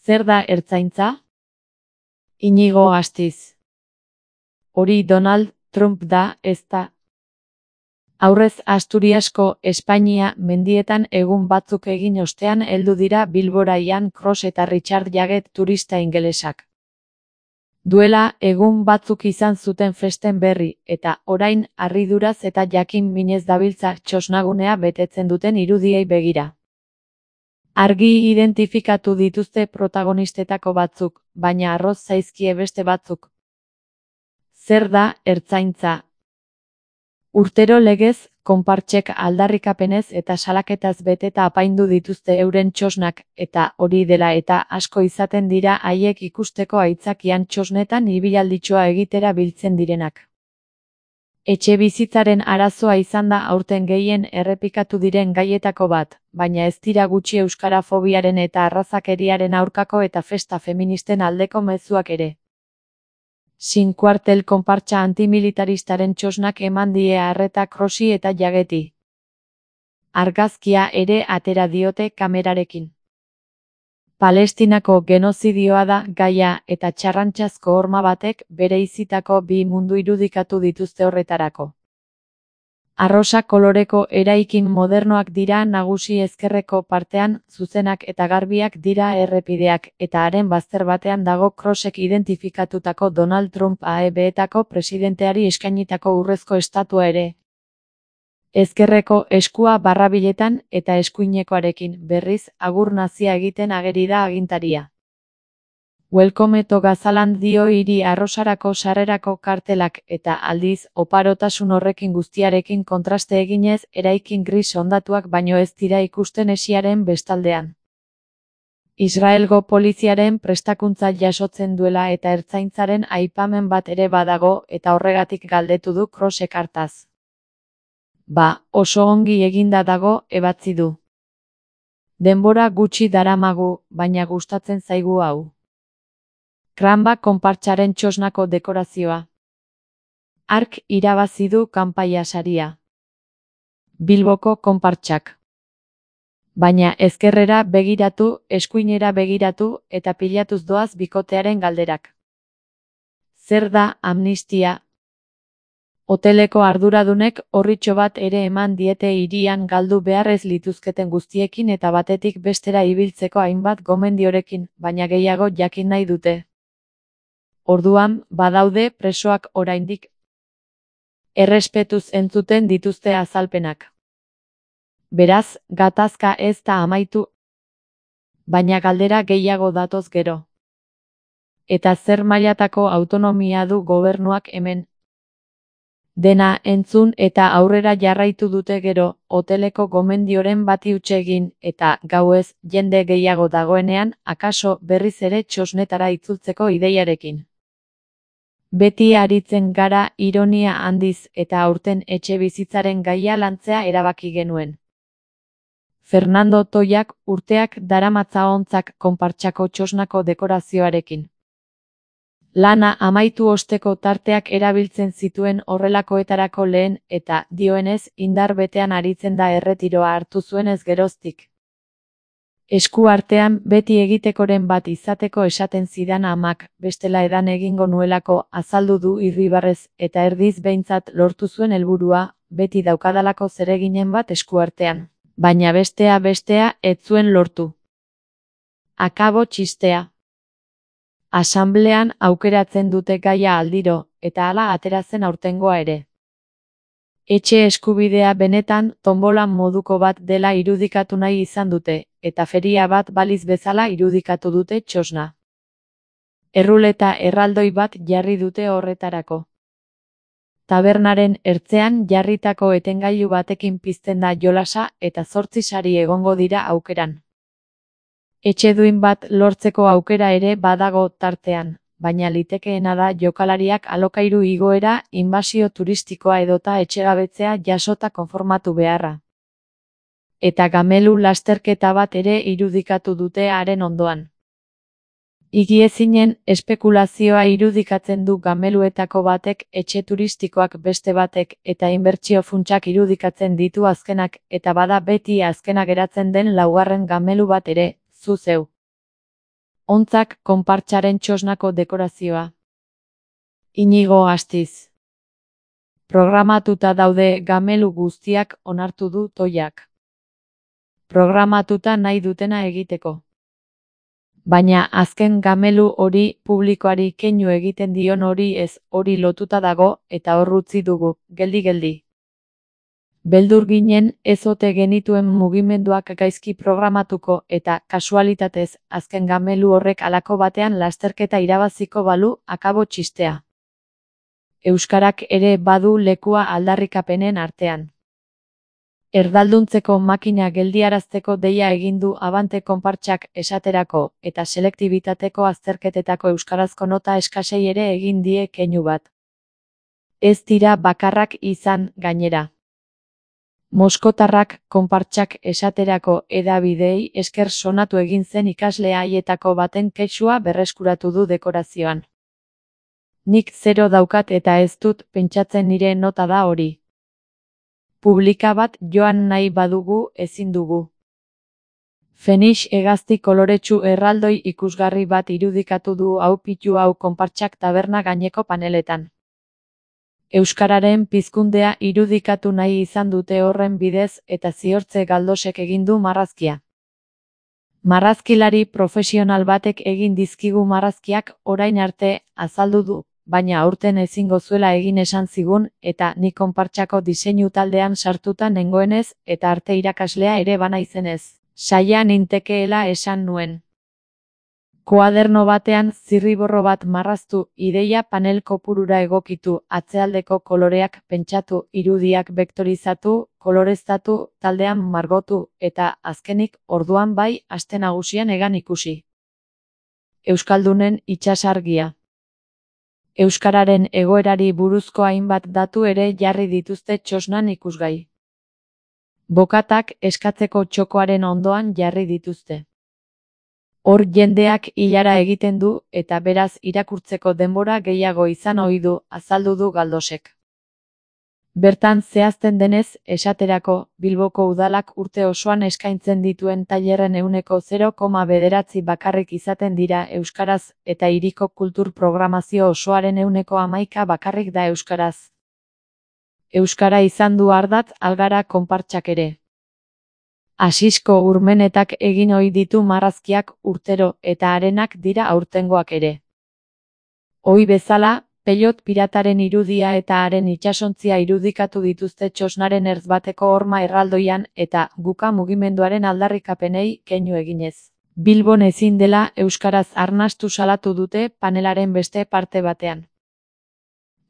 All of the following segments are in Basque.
Zer da ertzaintza? Inigo Astiz. Hori Donald Trump da, ezta? Aurrez Asturiasko Espainia mendietan egun batzuk egin ostean heldu dira Bilbora Ian Cross eta Richard Jagged turista ingelesak. Duela egun batzuk izan zuten festen berri, eta orain harriduraz eta jakin minez dabiltza txosnagunea betetzen duten irudiei begira. Argi identifikatu dituzte protagonistetako batzuk, baina arroz zaizkie beste batzuk. Zer da ertzaintza? Urtero legez, konpartsek aldarrikapenez eta salaketaz beteta apaindu dituzte euren txosnak, eta hori dela eta asko izaten dira haiek ikusteko aitzakian txosnetan ibilalditxoa egitera biltzen direnak. Etxebizitzaren arazoa izan da aurten gehien errepikatu diren gaietako bat, baina ez dira gutxi euskarafobiaren eta arrazakeriaren aurkako eta festa feministen aldeko mezuak ere. Sin kuartel konpartsa antimilitaristaren txosnak eman die arreta Crossi eta Jaggedi. Argazkia ere atera diote kamerarekin. Palestinako genozidioa da gaia eta txarrantxazko horma batek bereizitako bi mundu irudikatu dituzte horretarako. Arrosa koloreko eraikin modernoak dira nagusi ezkerreko partean, zuzenak eta garbiak dira errepideak, eta haren bazter batean dago Crossek identifikatutako Donald Trump AEB-etako presidenteari eskainitako urrezko estatua ere. Ezkerreko eskua barrabiletan eta eskuinekoarekin berriz agur nazia egiten ageri da agintaria. Welcome to Gazaland dio hiri arrosarako sarrerako kartelak eta aldiz oparotasun horrekin guztiarekin kontraste eginez eraikin gris hondatuak baino ez dira ikusten hesiaren bestaldean. Israelgo poliziaren prestakuntza jasotzen duela eta ertzaintzaren aipamen bat ere badago eta horregatik galdetu du Crossek hartaz. Ba, oso ongi eginda dago, ebatzi du. Denbora gutxi daramagu, baina gustatzen zaigu hau. Kranba konpartsaren txosnako dekorazioa. Ark irabazi du kanpaia saria. Bilboko konpartsak. Baina ezkerrera begiratu, eskuinera begiratu eta pilatuz doaz bikotearen galderak. Zer da amnistia? Hoteleko arduradunek orritxo bat ere eman diete hirian galdu beharrez lituzketen guztiekin eta batetik bestera ibiltzeko hainbat gomendiorekin, baina gehiago jakin nahi dute. Orduan, badaude presoak oraindik. Errespetuz entzuten dituzte azalpenak. Beraz, gatazka ez da amaitu. Baina galdera gehiago datoz gero. Eta zer mailatako autonomia du gobernuak hemen? Dena entzun eta aurrera jarraitu dute gero, hoteleko gomendioren bati huts egin, eta gauez jende gehiago dagoenean, akaso berriz ere txosnetara itzultzeko ideiarekin. Beti aritzen gara ironia handiz eta aurten etxebizitzaren gaia lantzea erabaki genuen. Fernando Toiak urteak daramatza ontzak konpartsako txosnako dekorazioarekin. Lana amaitu osteko tarteak erabiltzen zituen horrelakoetarako lehen eta, dioenez, indar betean aritzen da erretiroa hartu zuenez geroztik. Esku artean beti egitekoren bat izateko esaten zidan amak, bestela edan egingo nuelako azaldu du irribarrez eta erdiz behintzat lortu zuen helburua, beti daukadalako zereginen bat esku artean. Baina bestea ez zuen lortu. Akabo txistea. Asamblean aukeratzen dute gaia aldiro, eta hala atera zen aurtengoa ere. Etxe eskubidea benetan tonbolan moduko bat dela irudikatu nahi izan dute, eta feria bat baliz bezala irudikatu dute txosna. Erruleta erraldoi bat jarri dute horretarako. Tabernaren ertzean jarritako etengailu batekin pizten da jolasa eta 8 sari egongo dira aukeran. Etxeduin bat lortzeko aukera ere badago tartean, baina litekeena da jokalariak alokairu igoera, inbasio turistikoa edota etxegabetzea jasota konformatu beharra. Eta gamelu lasterketa bat ere irudikatu dute haren ondoan. Higiezinen espekulazioa irudikatzen du gameluetako batek, etxe turistikoak beste batek eta inbertsio funtsak irudikatzen ditu azkenak, eta bada beti azkena geratzen den laugarren gamelu bat ere, zu zeu. Ontzak konpartsaren txosnako dekorazioa. Inigo Astiz. Programatuta daude gamelu guztiak, onartu du Toiak. Programatuta nahi dutena egiteko. Baina azken gamelu hori publikoari keinu egiten dion hori ez, hori lotuta dago eta hor utzi dugu, geldi-geldi. Beldur ginen ez ote genituen mugimenduak gaizki programatuko eta kasualitatez azken gamelu horrek halako batean lasterketa irabaziko balu akabo txistea. Euskarak ere badu lekua aldarrikapenen artean. Erdalduntzeko makina geldiarazteko deia egin du Abante konpartsak esaterako eta selektibitateko azterketetako euskarazko nota eskasei ere egin die keinu bat. Ez dira bakarrak izan gainera. Moskotarrak konpartsak esaterako hedabideei esker sonatu egin zen ikasle haietako baten kexua berreskuratu du dekorazioan. Nik 0 daukat eta ez dut pentsatzen nire nota da hori. Publika bat joan nahi badugu ezin dugu. Fenix hegazti koloretsu erraldoi ikusgarri bat irudikatu du hau pitu hau konpartsak taberna gaineko paneletan. Euskararen pizkundea irudikatu nahi izan dute horren bidez eta Ziortze Galdosek egin du marrazkia. Marrazkilari profesional batek egin dizkigu marrazkiak orain arte azaldu du, baina aurten ezingo zuela egin esan zigun eta ni konpartsako diseinu taldean sartuta nengoenez eta arte irakaslea ere banaizenez, saia nintekeela esan nuen. Koaderno batean zirriborro bat marraztu, ideia panel kopurura egokitu, atzealdeko koloreak pentsatu, irudiak bektorizatu, koloreztatu, taldean margotu, eta azkenik orduan bai aste nagusian egan ikusi. Euskaldunen itsasargia. Euskararen egoerari buruzko hainbat datu ere jarri dituzte txosnan ikusgai. Bokatak eskatzeko txokoaren ondoan jarri dituzte. Hor jendeak ilara egiten du eta beraz irakurtzeko denbora gehiago izan ohi du, azaldu du Galdosek. Bertan zehazten denez, esaterako, Bilboko udalak urte osoan eskaintzen dituen tailerren 0,9 bakarrik izaten dira euskaraz eta hiriko kultur programazio osoaren 11% bakarrik da euskaraz. Euskara izan du ardatz Algara konpartsak ere. Asisko Urmenetak egin ohi ditu marrazkiak urtero eta harenak dira aurtengoak ere. Ohi bezala, Pelot pirataren irudia eta haren itsasontzia irudikatu dituzte txosnaren ertz bateko horma erraldoian eta guka mugimenduaren aldarrikapenei keinu eginez. Bilbon ezin dela euskaraz arnastu salatu dute panelaren beste parte batean.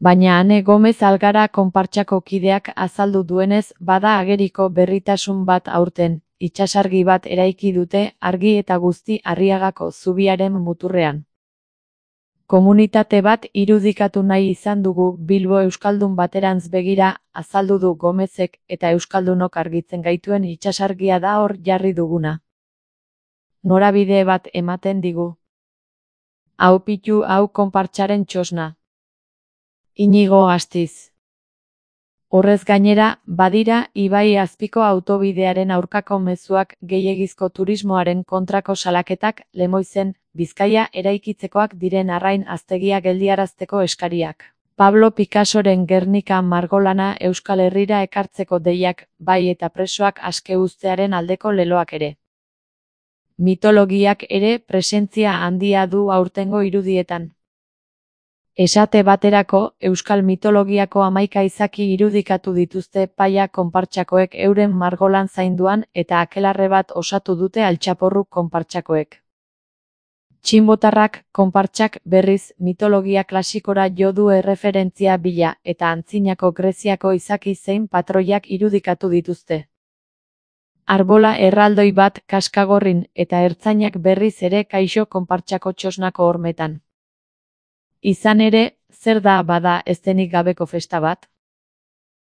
Baina Ane Gomez Algara konpartsako kideak azaldu duenez bada ageriko berritasun bat aurten, itsasargi bat eraiki dute argi eta guzti Arriagako zubiaren muturrean. Komunitate bat irudikatu nahi izan dugu Bilbo euskaldun baterantz begira, azaldu du Gomezek eta euskaldunok argitzen gaituen itsasargia da hor jarri duguna. Norabide bat ematen digu. Hau pitu hau konpartsaren txosna. Inigo Astiz. Horrez gainera, badira ibai azpiko autobidearen aurkako mezuak, gehiegizko turismoaren kontrako salaketak, Lemoizen, Bizkaia eraikitzekoak diren arrain aztegia geldiarazteko eskariak. Pablo Picassoren Gernika margolana Euskal Herrira ekartzeko deiak, bai eta presoak aske uztearen aldeko leloak ere. Mitologiak ere presentzia handia du aurtengo irudietan. Esate baterako, euskal mitologiako 11 izaki irudikatu dituzte Paia konpartsakoek euren margolan zainduan eta akelarre bat osatu dute Altxaporru konpartsakoek. Txinbotarrak konpartsak berriz mitologia klasikora jo du erreferentzia bila eta antzinako Greziako izaki zein patroiak irudikatu dituzte. Arbola erraldoi bat kaskagorrin eta ertzainak berriz ere kaixo konpartsako txosnako hormetan. Izan ere, zer da bada eszenik gabeko festa bat?